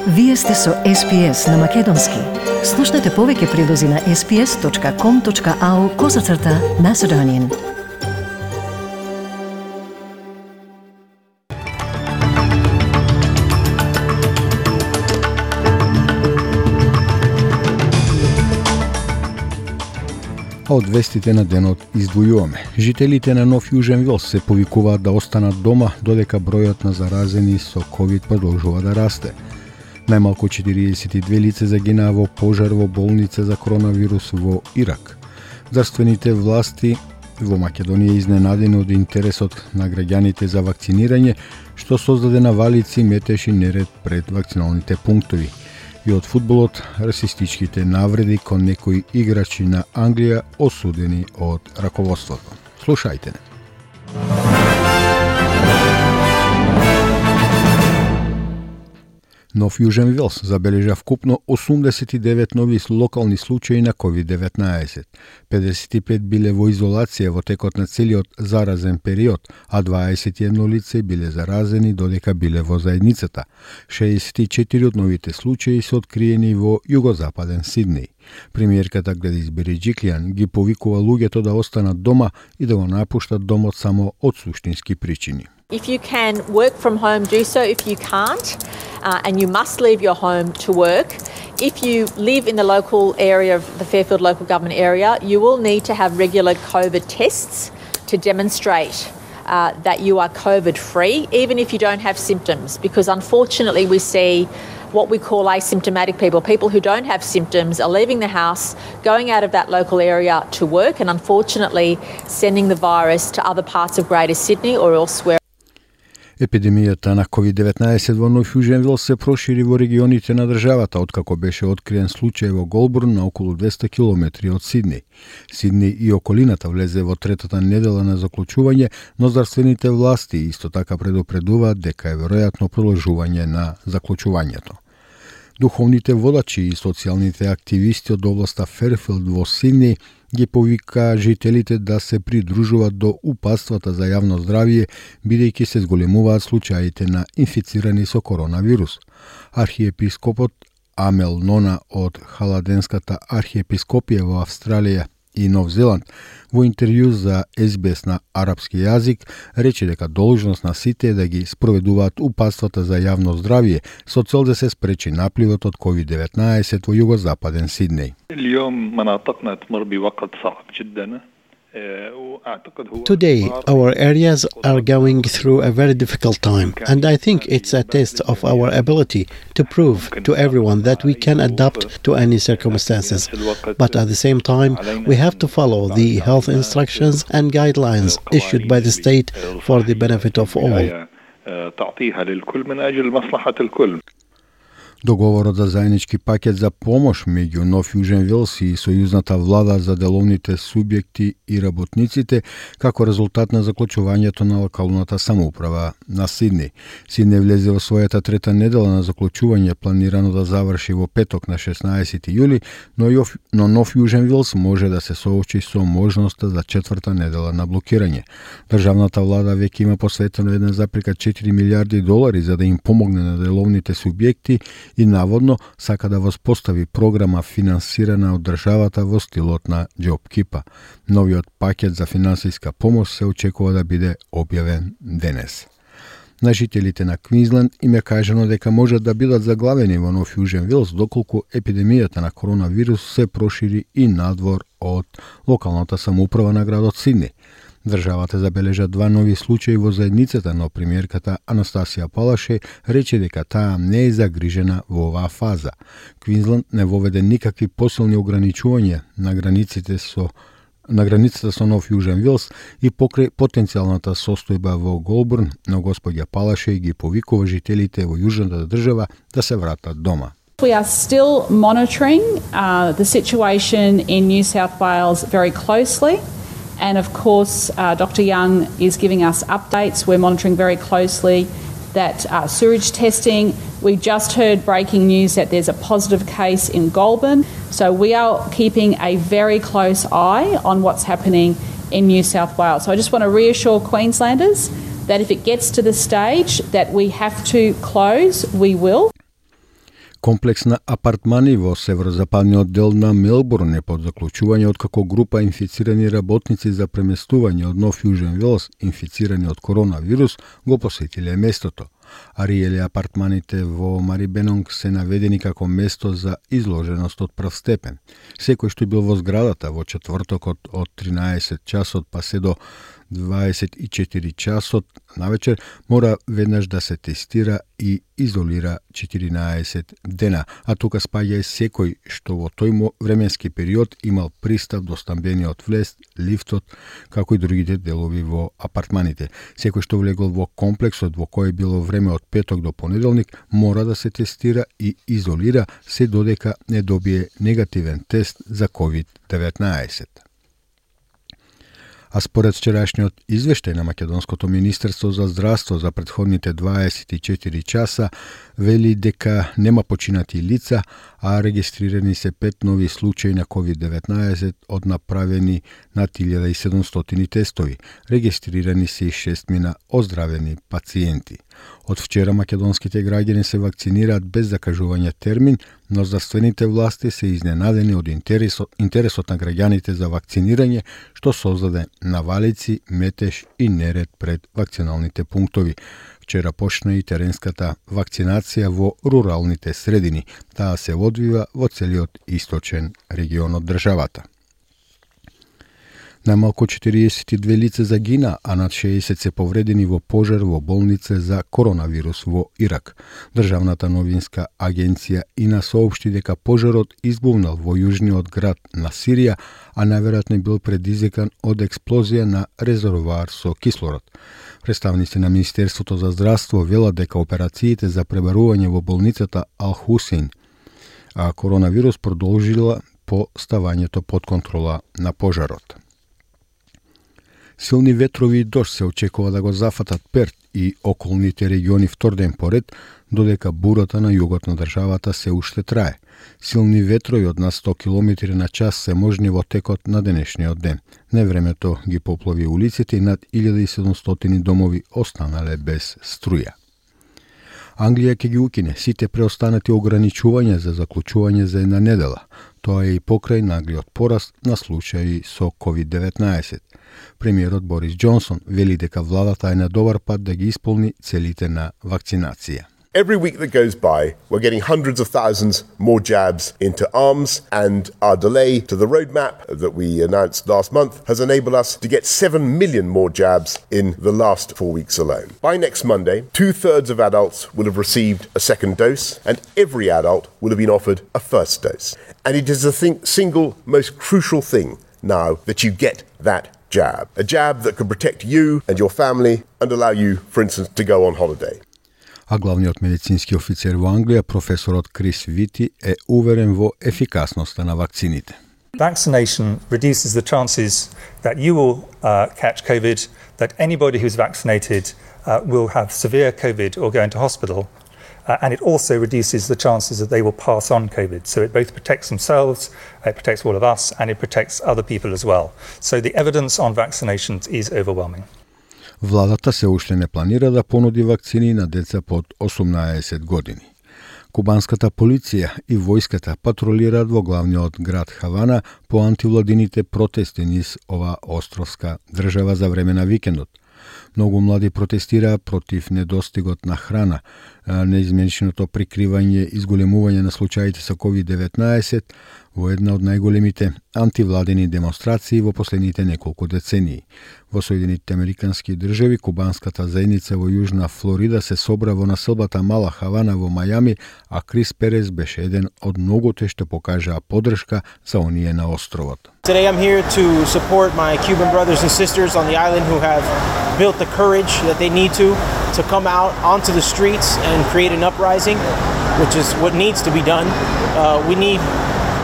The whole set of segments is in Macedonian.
Вие сте со SPS на Македонски. Слушнете повеќе прилози на sps.com.au/Macedonian. Од вестите на денот издвојуваме. Жителите на Нов Јужен Велс се повикуваат да останат дома додека бројот на заразени со COVID продолжува да расте. Најмалку 42 лица загинаа во пожар во болница за коронавирус во Ирак. Здравствените власти во Македонија изненадени од интересот на граѓаните за вакцинирање, што создаде навалици, метеж и неред пред вакциналните пунктови. И од фудбалот, расистичките навреди кон некои играчи на Англија осудени од раководството. Слушајте не. Нов Јужен Велс забележа вкупно 89 нови локални случаи на COVID-19. 55 биле во изолација во текот на целиот заразен период, а 21 лице биле заразени додека биле во заедницата. 64 од новите случаи се откриени во југозападен Сиднеј. Премиерката Гледис Береџиклијан ги повикува луѓето да останат дома и да го напуштат домот само од суштински причини. If you can work from home, do so. If you can't, and you must leave your home to work, if you live in the local area of the Fairfield local government area, you will need to have regular COVID tests to demonstrate that you are COVID-free, even if you don't have symptoms, because unfortunately we see what we call asymptomatic people who don't have symptoms are leaving the house, going out of that local area to work, and unfortunately sending the virus to other parts of Greater Sydney or elsewhere. Епидемијата на COVID-19 во Нов Јужен Велс се прошири во регионите на државата, откако беше откриен случај во Голбурн на околу 200 километри од Сиднеј. Сиднеј и околината влезе во третата недела на заклучување, но здравствените власти исто така предупредуваат дека е веројатно продолжување на заклучувањето. Духовните водачи и социјалните активисти од областа Ферфилд во Сиднеј ги повика жителите да се придружуваат до упатствата за јавно здравје, бидејќи се зголемуваат случаите на инфицирани со коронавирус. Архиепископот Амел Нона од Халаденската архиепископија во Австралија и Нов Зеланд во интервју за SBS на арапски јазик рече дека должност на сите е да ги спроведуваат упатствата за јавно здравје со цел да се спречи напливот од COVID-19 во југозападен Сиднеј. Today, our areas are going through a very difficult time, and I think it's a test of our ability to prove to everyone that we can adapt to any circumstances. But at the same time, we have to follow the health instructions and guidelines issued by the state for the benefit of all. Договорот за заеднички пакет за помош меѓу Нов Јужен Велс и сојузната влада за деловните субјекти и работниците како резултат на заклучувањето на локалната самоуправа на Сиднеј. Сиднеј влезе во својата трета недела на заклучување, планирано да заврши во петок на 16 јули, но Нов Јужен Велс може да се соочи со можноста за четврта недела на блокирање. Државната влада веќе има посветено 1,4 милиарди долари за да им помогне на деловните субјекти и наводно сака да воспостави програма финансирана од државата во стилот на JobKeeper. Новиот пакет за финансиска помош се очекува да биде објавен денес. На жителите на Квинсленд им е кажано дека можат да бидат заглавени во Нов Јужен Велс доколку епидемијата на коронавирус се прошири и надвор од локалната самоуправа на градот Сиднеј. Државата забележа 2 нови случаи во заедницата, но премиерката Анастасија Палаше рече дека таа не е загрижена во оваа фаза. Квинсленд не воведе никакви посилни ограничувања на границата со Нов Јужен Велс и покрај потенцијалната состојба во Голбурн, но господја Палаше ги повикува жителите во јужната држава да се вратат дома. We are still monitoring the situation in New South Wales very closely. And of course, Dr. Young is giving us updates. We're monitoring very closely that sewage testing. We just heard breaking news that there's a positive case in Goulburn. So we are keeping a very close eye on what's happening in New South Wales. So I just want to reassure Queenslanders that if it gets to the stage that we have to close, we will. Комплекс на апартмани во северозападниот дел на Мелбурн е под заклучување откако група инфицирани работници за преместување од Нов Јужен Велс инфицирани од коронавирус го посетиле местото. Ариеле апартманите во Марибенонг се наведени како место за изложеност од прв степен. Секој што бил во зградата во четвртокот од 13 часот па се до 24 часот навечер мора веднаш да се тестира и изолира 14 дена, а тука спаѓа и секој што во тој временски период имал пристап до стамбениот влез, лифтот, како и другите делови во апартманите. Секој што влегол во комплексот во кој било време од петок до понеделник мора да се тестира и изолира се додека не добие негативен тест за COVID-19. А според вчерашниот извештај на Македонското министерство за здравство за претходните 24 часа вели дека нема починати лица, а регистрирани се 5 нови случаи на COVID-19 од направени над 1700 тестови. Регистрирани се и 6 оздравени пациенти. Од вчера македонските граѓани се вакцинираат без закажување термин, но здравствените власти се изненадени од интересот на граѓаните за вакцинирање, што создаде навалици, метеж и неред пред вакциналните пунктови. Вчера почна и теренската вакцинација во руралните средини. Таа се одвива во целиот источен регион од државата. Најмалку 42 лица загина, а над 60 се повредени во пожар во болница за коронавирус во Ирак. Државната новинска агенција ИНА соопшти дека пожарот избувнал во јужниот град на Сирија, а најверојатно бил предизвикан од експлозија на резервоар со кислород. Представници на Министерството за здравство велат дека операциите за пребарување во болницата Ал-Хусейн а коронавирус продолжила по ставањето под контрола на пожарот. Силни ветрови и дожд се очекува да го зафатат Перт и околните региони втор ден поред, додека бурата на југот на државата се уште трае. Силни ветрови од над 100 км на час се можни во текот на денешниот ден. Невремето ги поплави улиците и над 1700 домови останале без струја. Англија ќе ги укине сите преостанати ограничувања за заклучување за една недела. Тоа е и покрај наглиот пораст на случаи со COVID-19. Премиерот Борис Џонсон вели дека владата е на добар пат да ги исполни целите на вакцинација. Every week that goes by, we're getting hundreds of thousands more jabs into arms, and our delay to the roadmap that we announced last month has enabled us to get 7 million more jabs in the last 4 weeks alone. By next Monday, 2/3 of adults will have received a second dose, and every adult will have been offered a first dose. And it is the single most crucial thing now that you get that jab. A jab that can protect you and your family and allow you, for instance, to go on holiday. А главниот медицински офицер во Англија, професорот Крис Вити, е уверен во ефикасноста на вакцините. Vaccination reduces the chances that you will catch COVID, that anybody who's vaccinated will have severe COVID or go into hospital, and it also reduces the chances that they will pass on COVID. So it both protects themselves, it protects all of us, and it protects other people as well. So the evidence on vaccinations is overwhelming. Владата се уште не планира да понуди вакцини на деца под 18 години. Кубанската полиција и војската патролираат во главниот град Хавана по антивладините протести низ ова островска држава за време на викендот. Многу млади протестираа против недостигот на храна, неизменичното прикривање и изголемување на случаите со COVID-19 во една од најголемите антивладени демонстрации во последните неколку децении. Во Соединетите Американски држави, кубанската заедница во Јужна Флорида се собра во населбата Мала Хавана во Мајами, а Крис Перес беше еден од многуте што покажаа поддршка за оние на островот. Today I'm here to support my Cuban brothers and sisters on the island who have built the courage that they need to come out onto the streets and create an uprising, which is what needs to be done. We need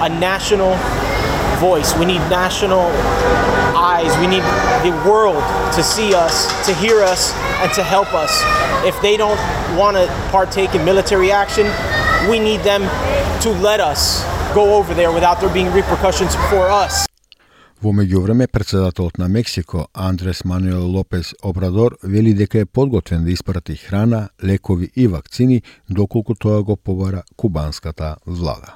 a national voice. We need national eyes. We need the world to see us, to hear us, and to help us. If they don't want to partake in military action, we need them to let us go over there without there being repercussions for us. Во меѓувреме, председателот на Мексико, Андрес Мануел Лопес Обрадор, вели дека е подготвен да испрати храна, лекови и вакцини, доколку тоа го побара кубанската влада.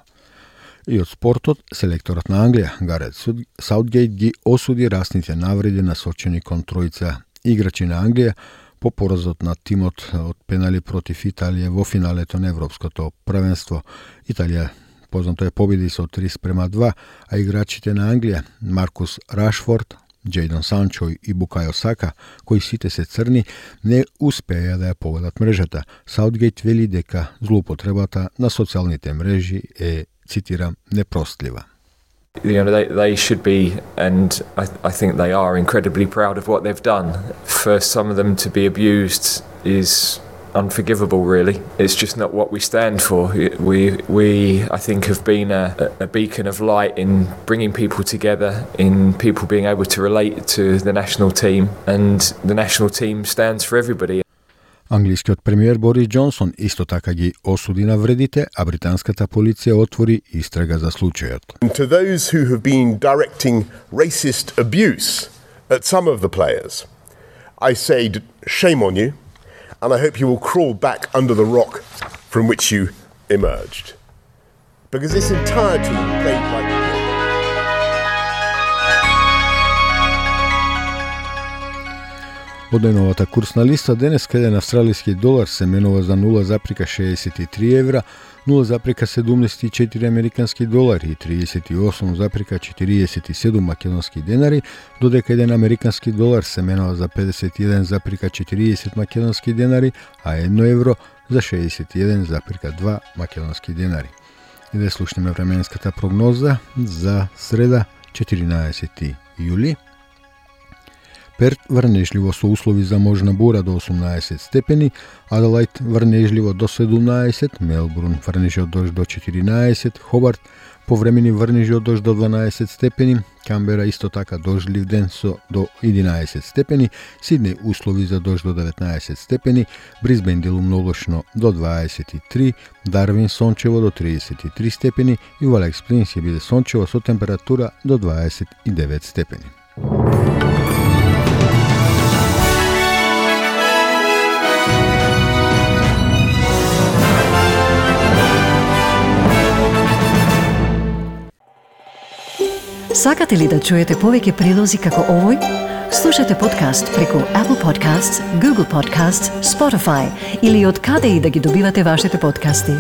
И од спортот, селекторот на Англија, Гарет Саутгейт, ги осуди расните навреди насочени кон тројца играчи на Англија по поразот на тимот од пенали против Италија во финалето на Европското првенство. Италија познато е победи со 3-2, а играчите на Англија, Маркус Рашфорд, Джейдон Санчо и Букајо Сака, кои сите се црни, не успеја да ја погодат мрежата. Саутгейт вели дека злоупотребата на социјалните мрежи е, цитирам, непростлива. They should be, and I think they are, incredibly proud of what they've done. For some of them to be abused is unforgivable, really. It's just not what we stand for. We I think, have been a beacon of light in bringing people together, in people being able to relate to the national team, and the national team stands for everybody. Англискиот премиер Борис Џонсон исто така ги осуди навредите, а британската полиција отвори истрага за случајот. To those who have been directing racist abuse at some of the players, I say shame on you, and I hope you will crawl back under the rock from which you emerged. Because this entire team played like Од најновата курсна листа, денес еден австралиски долар се менува за 0,63 евра, 0,74 американски долари и 38,47 македонски денари, додека еден американски долар се менува за 51,40 македонски денари, а 1 евро за 61,2 македонски денари. И да слушнеме временската прогноза за среда, 14 јули. Перт врнежливо со услови за можна бура до 18 степени, Аделајд врнежливо до 17, Мелбурн врнежи од дожд до 14, Хобарт повремени врнежи од дожд до 12 степени, Камбера исто така дождлив ден со до 11 степени, Сиднеј услови за дожд до 19 степени, Брисбен делумно облачно до 23, Дарвин сончево до 33 степени и во Алекс Плинс ќе биде сончево со температура до 29 степени. Сакате ли да чуете повеќе прилози како овој? Слушате подкаст преку Apple Podcasts, Google Podcasts, Spotify или од каде и да ги добивате вашите подкасти.